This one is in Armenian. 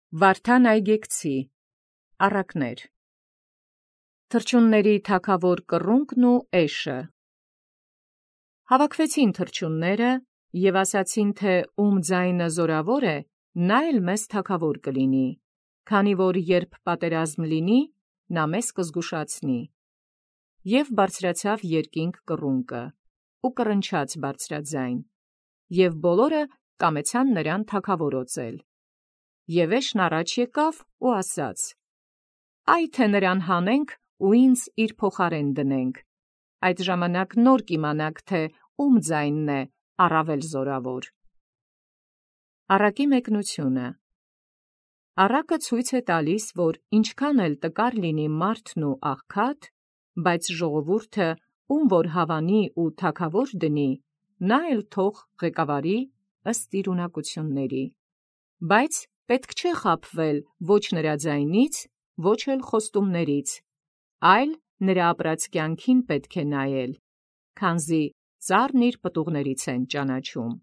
Վարդան Այգեկցի առակներ Թռչունների թագավոր կռունկն ու էշը Հավաքվեցին թռչունները և ասացին, թե ում ձայնը զորավոր է, նա էլ մեզ թագավոր կլինի, քանի որ երբ պատերազմ լինի, նա մեզ կզգուշացնի։ Եւ բարձրացավ երկինք կռունկը, ու կռնչաց բարձրաձայն, եւ բոլորը կամեցան նրան թագավորոծել։ Եւ էշն առաջ եկավ ու ասաց. «Այ թե նրան հանենք ու ինձ իր փոխարեն դնենք, այդ ժամանակ նոր կիմանաք, թե ում ձայնն է առավել զորավոր»։ Առակի մեկնությունը Առակը ցույց է տալիս, որ ինչքան էլ տկար լինի մարդն ու աղքատ, բայց ժողովուրդը, ում որ հավանի ու թագավոր դնի, նա էլ թող ղեկավարի ըստ իր ունակությունների։ Բայց պետք չէ խաբվել ոչ նրա ձայնից, ոչ էլ խոստումներից, այլ նրա ապրած կյանքին պետք է նայել, քանզի ծառն իր պտուղներից են ճանաչում։